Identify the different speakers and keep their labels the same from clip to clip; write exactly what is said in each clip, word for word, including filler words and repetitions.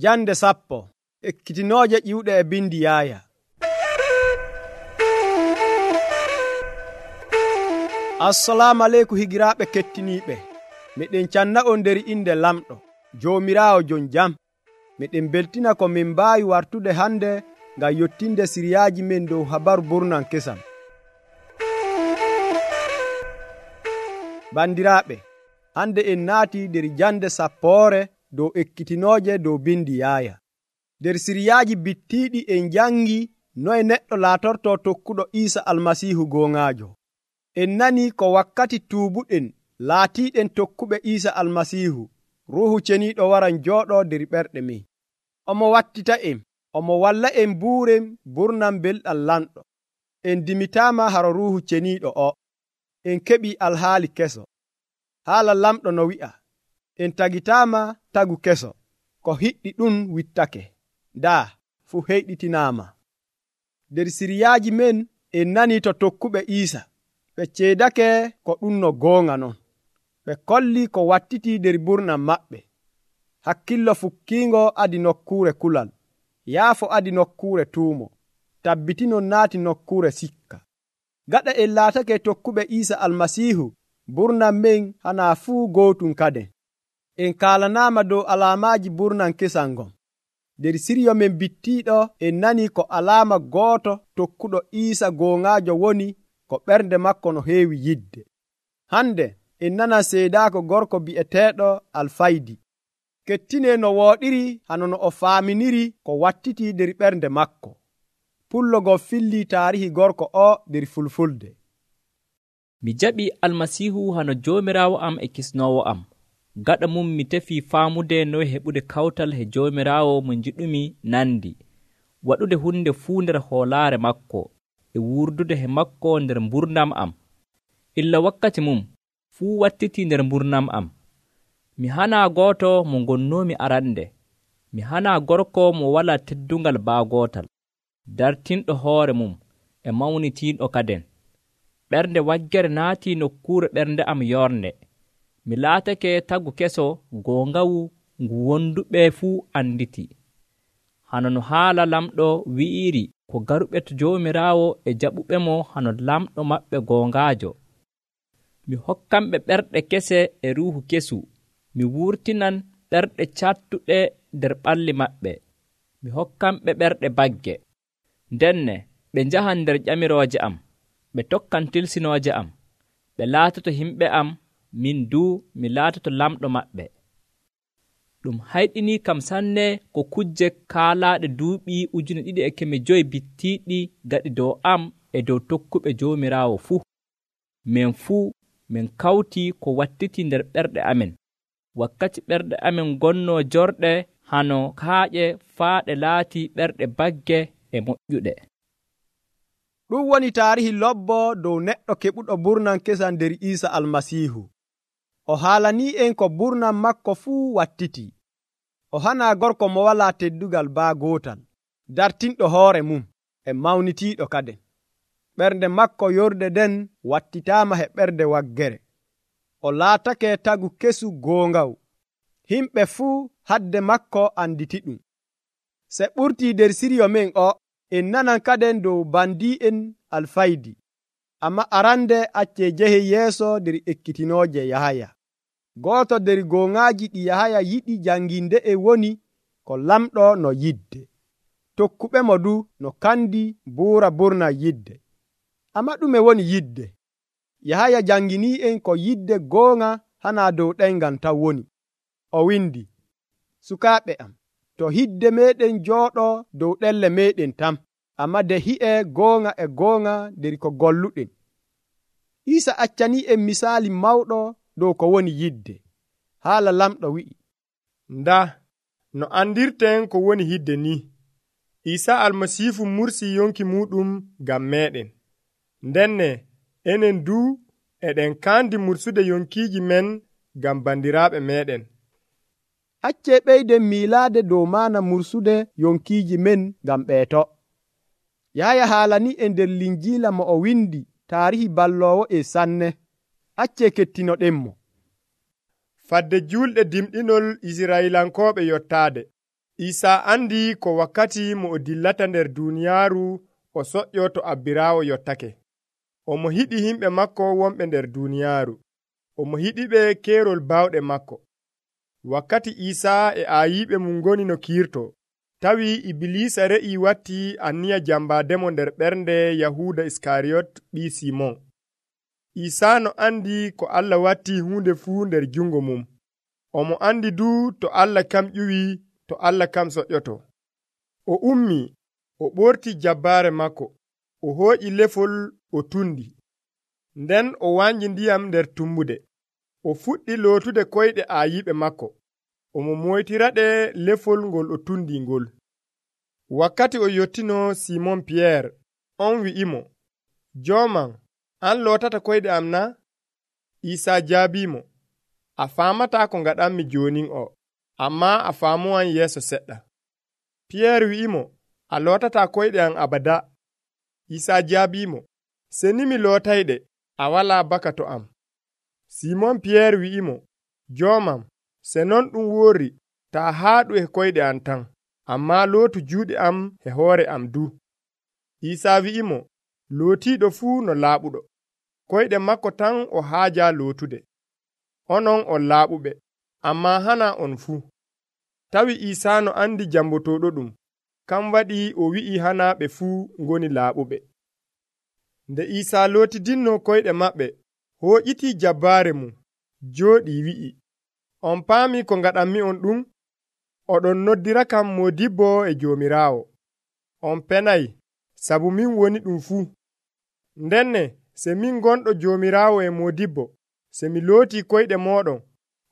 Speaker 1: Jande sappo ekkitinooje ƴiwɗe e bindi Yaaya. Assalamu aleykum higiraaɓe kettiniiɓe. Miɗen canna'on nder inde lamɗo Joomiraawo jon jam. Miɗen beltina ko min mbaawi wartude hande ngam yottinde siriyaaji men dow habaru burnan kesam. Bandiraaɓe, hande en naati nder jande sappoore dow ekkitinooje dow bindi Yaaya. Nder siriyaaji bittiiɗi en jangi noye neɗɗo laatorto tokkuɗo Iisa Almasiihu gooŋaajo. En nani ko wakkati tuubuɗen laatiiɗen tokkuɓe Iisa Almasiihu, Ruuhu Ceniiɗo waran jooɗoo nder ɓerɗe men. Omo wattita en, omo walla en buuren burnan belɗam lamɗo. En dimitaama haro Ruuhu Ceniiɗo o. En keɓii alhaali keso. Haala lamɗo no wi'a, en tagitaama tagu keso, ko hiɗɗi ɗum wittake. Daa, fu heyɗitinaama. Nder siriyaaji men en nani to tokkuɓe Iisa. Ɓe ceedake ko ɗum no goonga non. Ɓe kolli ko wattiti nder burnan maɓɓe. Hakkillo fukkiingo adi nokkuure kulal. Yaafo adi nokkuure tuumo. Tabbitinon naati nokkuure sikka. Gaɗa en laatake tokkuɓe Iisa Almasiihu, burnan men hanaa fuu gootum kaden. En kaalanaama dow alaamaaji burnan kesal ngon. Nder siryo men bittiiɗo en nani ko alaama gooto tokkuɗo Iisa gooŋaajo woni ko ɓernde makko no heewi yidde. Hande en nana seedaako gorko bi'eteeɗo Alfaydi. Kettine no wooɗiri hano no o faaminiri ko wattiti nder ɓernde makko. Pullogo filli taarihi gorko o nder Fulfulde.
Speaker 2: Mi jaɓi Almasiihu hano Joomiraawo am e kisnoowo am. Gaɗa mum mi tefii faamude noye heɓude kawtal he Joomiraawo mo njiɗumi nandi, waɗude hunde fuu nder hoolaare makko, e wurdude he makko nder mburnam am. Illa wakkati mum fuu wattiti nder mburnam am. Mi hanaa gooto mo ngonnoomi arande. Mi hanaa gorko mo walaa teddungal baagootal, dartinɗo hoore mum e mawnitiinɗo kaden. Ɓernde waggere naatii nokkuure ɓernde am yornde. Mi laatake tagu keso goongawu ngu wonduɓe fuu anditi. Hano no haala lamɗo wi'iri ko garuɓe to Joomiraawo e jaɓuɓe mo hano lamɗo maɓɓe goongaajo. Mi hokkanɓe ɓerɗe kese e ruuhu kesu. Mi wurtinan ɓerɗe cattuɗe nder ɓalli maɓɓe. Mi hokkanɓe ɓerɗe bagge. Ndenne ɓe njahan nder ƴamirooje am. Ɓe tokkan tilsinooje am. Ɓe laatoto himɓe am, min duu mi laatoto lamɗo maɓɓe. Ɗum hayɗinii kam sanne ko kujje kaalaaɗe duuɓi ujune ɗiɗi e keme joyi bittiiɗi gaɗi dow am e dow tokkuɓe Joomiraawo fuu. Min fuu min kawtii ko wattiti nder ɓerɗe amen. Wakkati ɓerɗe amen gonnoo jorɗe hano kaaƴe faa ɗe laatii ɓerɗe bagge e moƴƴuɗe.
Speaker 1: Ɗum woni taarihi lobbo dow neɗɗo keɓuɗo burnan kesam nder Iisa Almasiihu. O haalanii en ko burnan makko fuu wattiti. O hanaa gorko mo walaa teddugal baagootal, dartinɗo hoore mum e mawnitiiɗo kaden. Ɓernde makko yorde den wattitaama he ɓernde waggere. O laatake tagu kesu goongawu. Himɓe fuu hadde makko anditi ɗum. Se ɓurtii nder siryo men o, en nanan kaden dow bandi'en Alfaydi. Amma arande accee jehe yeeso nder ekkitinooje Yahaya. Gooto nder gooŋaaji ɗi Yahaya yiɗi janginde e woni ko lamɗo no yidde. Tokkuɓe mo du no kandi buura burna yidde. Amma ɗume woni yidde? Yahaya janginii en ko yidde gooŋa hanaa dow ɗengal taw woni. O windi, sukaaɓe am, to hidde meeɗen jooɗoo dow ɗelle meeɗen tam, amma de hi'e gooŋa e gooŋa nder ko golluɗen. Iisa accanii en misaali mawɗo dow ko woni yidde. Haala lamɗo wi'i,
Speaker 3: nda no andirten ko woni yidde ni. Iisa Almasiihu mursi yonki muɗum ngam meɗen. Ndenne enen du eɗen kandi mursude yonkiiji men ngam bandiraaɓe meɗen.
Speaker 1: Accee ɓeyden miilaade dow maana mursude yonkiiji men ngam ɓeeto. Yahaya haalanii en nder linjiila mo o windi taarihi balloowo e sanne. Accee kettinoɗenmo.
Speaker 3: Fadde julɗe dimɗinol Israilankooɓe yottaade. Isaa andi ko wakkati mo o dillata nder duuniyaaru o soƴƴo to abbiraawo yottake. Omo hiɗi himɓe makko wonɓe nder duuniyaaru. Omo hiɗiɓe keerol baawɗe makko. Wakkati Isaa e aayiɓe mum ngoni no kiirto, tawi Ibliisa re'ii watti anniya jambaademo nder ɓernde Yahuuda Iskariyot ɓii Simon. Isaa no andi ko Allah watti huunde fuu nder jungo mum. Omo andi du to Allah kam ƴuwi, to Allah kam soƴƴoto. O ummii, o ɓorti jabbaare makko, o hooƴi lefol o tundi. Nden o wanji ndiyam nder tummude. O fuɗɗi lootude koyɗe aayiɓe makko. Omo moytiraɗe lefol ngol o tundi ngol. Wakkati o yottino Simon Piyeer, on wi'imo, Jooman, an lootata koyɗe am na? Isaa jaabiimo, a faamataa ko ngaɗanmi joonin o, ammaa a faamowan yeeso seɗɗa. Piyeer wi'imo, a lootataa koyɗe am abada. Isaa jaabiimo, seni mi lootayɗe, a walaa baka to am. Simon Piyeer wi'imo, Joomam, se non ɗum woori, taa haaɗu e koyɗe am tan, ammaa lootu juuɗe am e hoore am du. Isaa wi'imo, lootiiɗo fuu no laaɓuɗo. Koyɗe makko tan o haajaa lootude. Onon on laaɓuɓe, ammaa hana on fuu. Tawi Isaa no andi jambotooɗo ɗum, kam waɗi o wi'i hana ɓe fuu ngoni laaɓuɓe. Nde Isaa lootidinno koyɗe maɓɓe, hooƴitii jabbaare mum, jooɗii wi'i, on paami ko ngaɗanmi on ɗum? Oɗon noddirakam Moodibbo e Joomiraawo. On penay, sabu min woni ɗum fuu. Ndenne se min gonɗo Joomiraawo e Moodibbo, se mi lootii koyɗe mooɗon,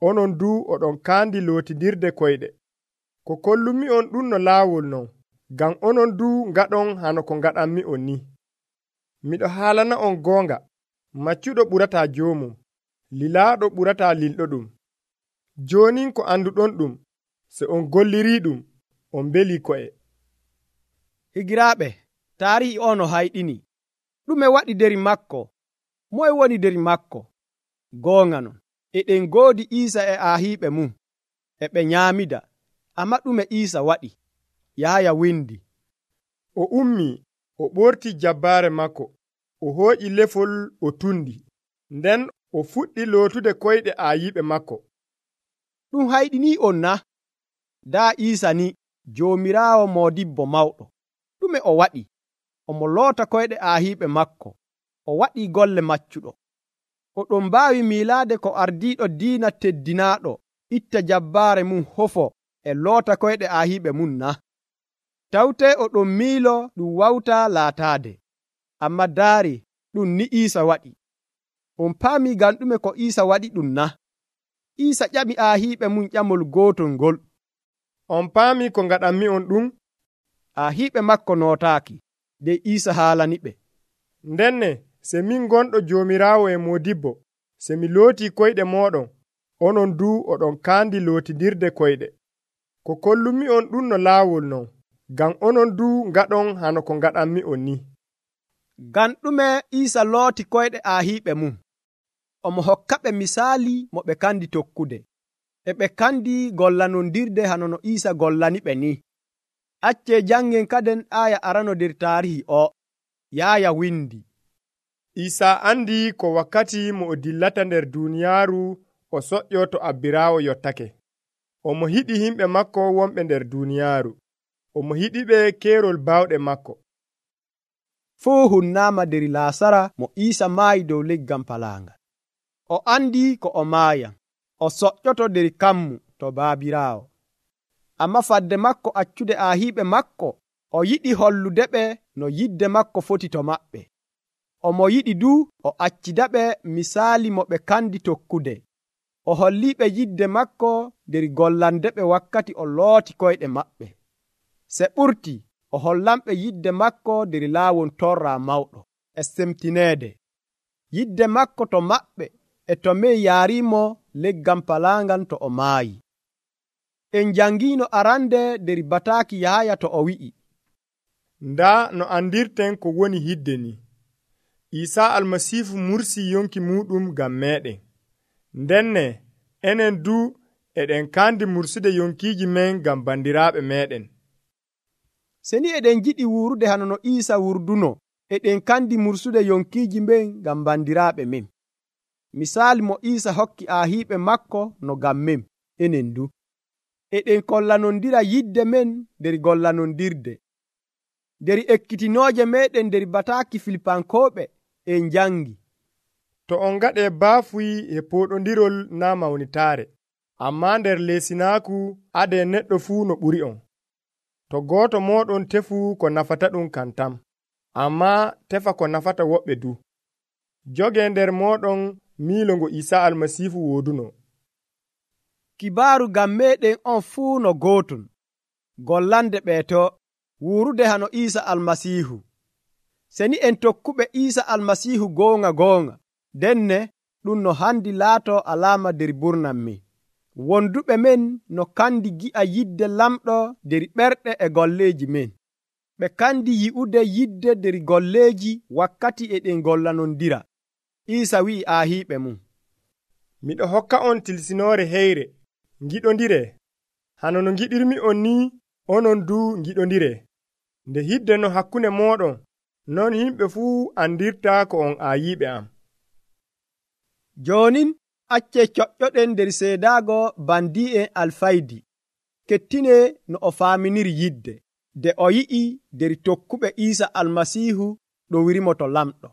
Speaker 3: onon du oɗon kaandi lootidirde koyɗe. Ko kollumi on ɗum no laawol non, ngam onon du ngaɗon hano ko ngaɗanmi on ni. Miɗo haalana on goonga, maccuɗo ɓurataa joomum, lilaaɗo ɓurataa lilɗoɗum. Joonin ko anduɗon ɗum, se on gollirii ɗum, on mbelii ko'e.
Speaker 1: Higiraaɓe, taarihi o no hayɗini. Ɗume waɗi der makko? Moye woni der makko? Goonga non, eɗen ngoodi Iisa e aahiiɓe mum, e ɓe nyaamida. Amma ɗume Iisa waɗi? Yaaya windi.
Speaker 3: O ummii, o ɓortii jabbaare makko, o hooƴi lefol o tundi. Nden o fuɗɗi lootude koyɗe aayiɓe makko.
Speaker 1: Ɗum hayɗinii on na? Daa Iisa ni Joomiraawo Moodibbo mawɗo. Ɗume o waɗi? Omo loota koyɗe aahiiɓe makko. O waɗii golle maccuɗo. Oɗon mbaawi miilaade ko ardiiɗo diina teddinaaɗo itta jabbaare mum hofo e loota koyɗe aahiiɓe mum na? Tawtee oɗon miilo ɗum wawtaa laataade. Amma daari ɗum ni Iisa waɗi. On paami ngam ɗume ko Iisa waɗi ɗum na? Iisa ƴami aahiiɓe mum ƴamol gootol ngol.
Speaker 3: On paami ko ngaɗanmi on ɗum?
Speaker 1: Aahiiɓe makko nootaaki, nde Iisa haalaniɓe.
Speaker 3: Ndenne se min gonɗo Joomiraawo e Moodibbo, se mi lootii koyɗe mooɗon, onon du oɗon kaandi lootidirde koyɗe. Ko kollumi on ɗum no laawol non, ngam onon du ngaɗon hano ko ngaɗanmi on ni.
Speaker 1: Ngam ɗume Iisa looti koyɗe aahiiɓe mum? Omo hokkaɓe misaali mo ɓe kandi tokkude. E ɓe kandi gollanondirde hano no Iisa gollaniɓe ni. Accee jangen kaden aya arano der taarihi o. Yaaya windi.
Speaker 3: Isaa andi ko wakkati mo o dillata nder duuniyaaru o soƴƴo to abbiraawo yottake. Omo hiɗi himɓe makko wonɓe nder duuniyaaru. Omo hiɗiɓe keerol baawɗe makko.
Speaker 1: Fuu hunnaama der Laasara mo Iisa maayi dow leggal palaangal. O andi ko o maayan. O soƴƴoto der kammu to baabiraawo. Amma fadde makko accude aahiiɓe makko, o yiɗi holludeɓe no yidde makko foti to maɓɓe. Omo yiɗi du o accidaɓe misaali mo ɓe kandi tokkude. O holliɓe yidde makko der gollandeɓe wakkati o looti koyɗe maɓɓe. Se ɓurti o hollanɓe yidde makko der laawol torra mawɗo e semtineede. Yidde makko to maɓɓe e to mey yaarimo leggal palaangal to o maayi. En jangino arande der bataaki Yahaya to o wi'i,
Speaker 3: nda no andirten ko woni hidde ni. Isaa almasiifu mursi yonki muɗum ngam meɗen. Ndenne enen du eɗen kandi mursude yonkiiji men ngam bandiraaɓe meeɗen.
Speaker 1: Seni eɗen jiɗi wuurude hano no Iisa wurduno, eɗen kandi mursude yonkiiji men ngam bandiraaɓe men. Misaali mo Iisa hokki aahiiɓe makko no ngam men enen du. Eɗen kollanondira yidde men nder gollanondirde. Nder ekkitinooje meeɗen nder bataaki Filipankooɓe en jangi.
Speaker 3: To on ngaɗee baafuyi e pooɗondirol naa mawnitaare, ammaa nder leesinaaku adee neɗɗo fuu no ɓuri on. To gooto mooɗon tefu ko nafata ɗum kan tam, ammaa tefa ko nafata woɓɓe du. Jogee nder mooɗon miilo ngo Iisaa Almasiihu wooduno.
Speaker 1: Kibaaru ngam meeɗen on fuu no gootum, gollande ɓeeto wuurude hano Iisa Almasiihu. Seni en tokkuɓe Iisa Almasiihu goonga goonga, denne ɗum no handi laato alaama nder burnam men. Wonduɓe men no kandi gi'a yidde lamɗo nder ɓerɗe e golleeji men. Ɓe kandi yi'ude yidde nder golleeji wakkati eɗen gollanondira. Iisa wi'i aahiiɓe mum,
Speaker 3: miɗo hokka on tilsinoore heyre, ngiɗondiree. Hano no ngiɗirmi on ni, onon du ngiɗondiree. Nde hidde no hakkunde mooɗon, non yimɓe fuu andirta ko on aayiiɓe am.
Speaker 1: Joonin accee coƴƴoɗen nder seedaago bandi'en alfaydi. Kettine no o faaminiri yidde, de o yi'i nder tokkuɓe Iisa Almasiihu ɗo wirimo to lamɗo.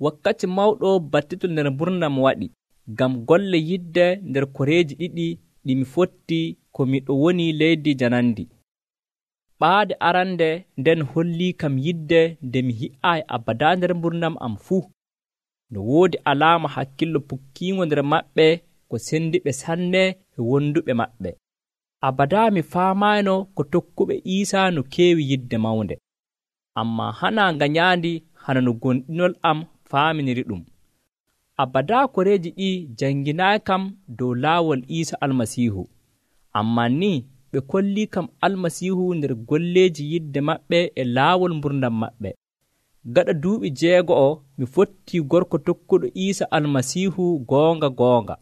Speaker 2: Wakkati mawɗo battitol nder burnam waɗi, ngam golle yidde nder koreeji ɗiɗi ɗi mi fotti ko miɗo woni leydi janandi. Ɓaade arande nden hollii kam yidde nde mi hi'aayi abada nder burnam am fuu. No woodi alaama hakkillo pukkiingo nder maɓɓe ko sendiɓe sanne e wonduɓe maɓɓe. Abada mi faamayno ko tokkuɓe Iisaa no keewi yidde mawnde. Ammaa hana ngañaandi hana no gonɗinol am faaminiri ɗum. Abada koreeji ɗi janginaayi kam dow laawol Iisa Almasiihu. Ammaa ni ɓe kollii kam Almasiihu nder golleeji yidde maɓɓe e laawol mburdam maɓɓe. Gaɗa duuɓi jeego'o mi fottii gorko tokkuɗo Iisa Almasiihu goonga goonga.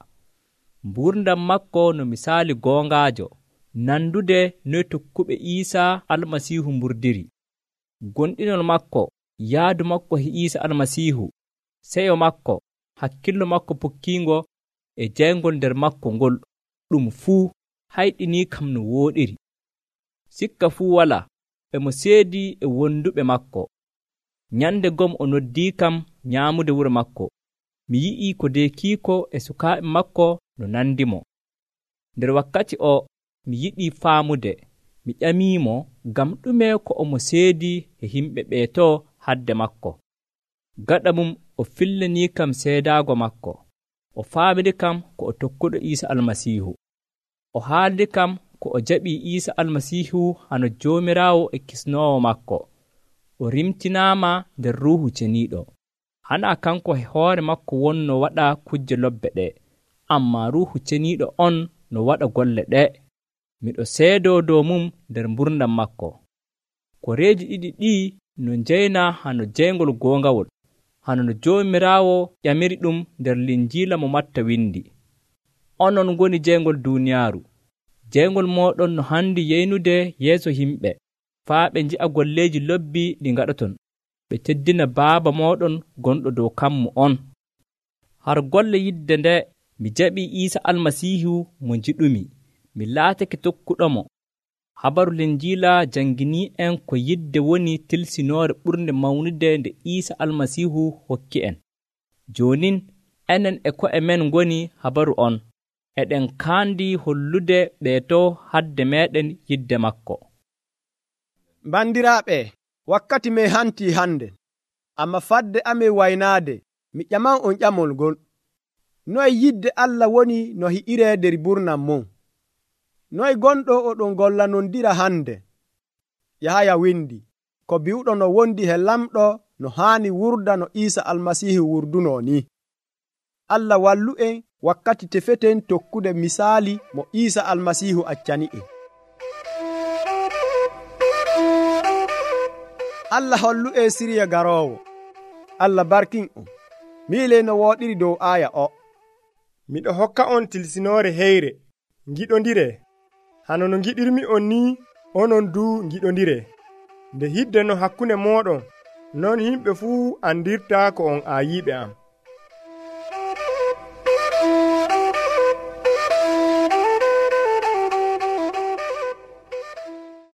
Speaker 2: Mburdam makko no misaali goongaajo, nandude noy tokkuɓe Iisaa Almasiihu mburdiri. Gonɗinol makko, yaadu makko e Iisa Almasiihu, seyo makko, hakkillo makko pukkiingo e jeyngol nder makko ngol, ɗum fuu hayɗinii kam no wooɗiri. Sikka fuu walaa, e mo seedii e wonduɓe makko. Nyande gom o noddii kam nyaamude wuro makko. Mi yi'ii ko deekiiko e sukaaɓe makko no nandimo. Nder wakkati o mi yiɗii faamude, mi ƴamiimo ngam ɗume ko omo seedii e yimɓe ɓeeto hadde makko. Gaɗa mum o fillanii kam seedaago makko. O faamiri kam ko o tokkuɗo Iisa Almasiihu. O haaldi kam ko o jaɓii Iisa Almasiihu hano Joomiraawo e kisnoowo makko. O rimtinaama nder Ruuhu Ceniiɗo. Hana kanko e hoore makko wonno waɗa kujje lobbe ɗe, ammaa Ruuhu Ceniiɗo on no waɗa golle ɗe. Miɗo seedoo dow mum nder mburdam makko. Koreeji ɗiɗi ɗii no njeyna hano jeyngol goongawol, hano no Joomiraawo ƴamiri ɗum nder Linjiila mo Matta windi. Onon ngoni jeyngol duuniyaaru. Jeyngol mooɗon no handi yeynude yeeso yimɓe, faa ɓe nji'a golleeji lobbi ɗi ngaɗoton, ɓe teddina Baaba mooɗon gonɗo dow kammu on. Har golle yidde nde mi jaɓii Iisa Almasiihu mo njiɗumi, mi laatake tokkuɗomo. Habaru Linjiila janginii en ko yidde woni tilsinoore ɓurnde mawnude nde Iisa Almasiihu hokki en. Joonin enen e ko'e men ngoni habaru on, eɗen kaandi hollude ɓeeto hadde meeɗen yidde makko.
Speaker 1: Bandiraaɓe, wakkati men hantii hande, amma fadde amen waynaade, mi ƴaman on ƴamol ngol. Noye yidde Allah woni no hi'iree nder burnam mum? Noye gonɗo oɗon gollanondira hande? Yahaya windi, ko bi'uɗo no wondi he lamɗo no haani wurda no Iisa Almasiihu wurduno ni. Allah wallu en wakkati tefeten tokkude misaali mo Iisa Almasiihu accani en. Allah hollu en siriya garoowo. Allah barkin on. Miile no wooɗiri dow aaya o.
Speaker 3: miɗo hokka on tilsinoore heyre, ngiɗondire. Hano no ngiɗirmi on ni, onon du ngiɗondire. Nde hidde no hakkunde mooɗon, non himɓe fuu andirta ko on aayiiɓe am.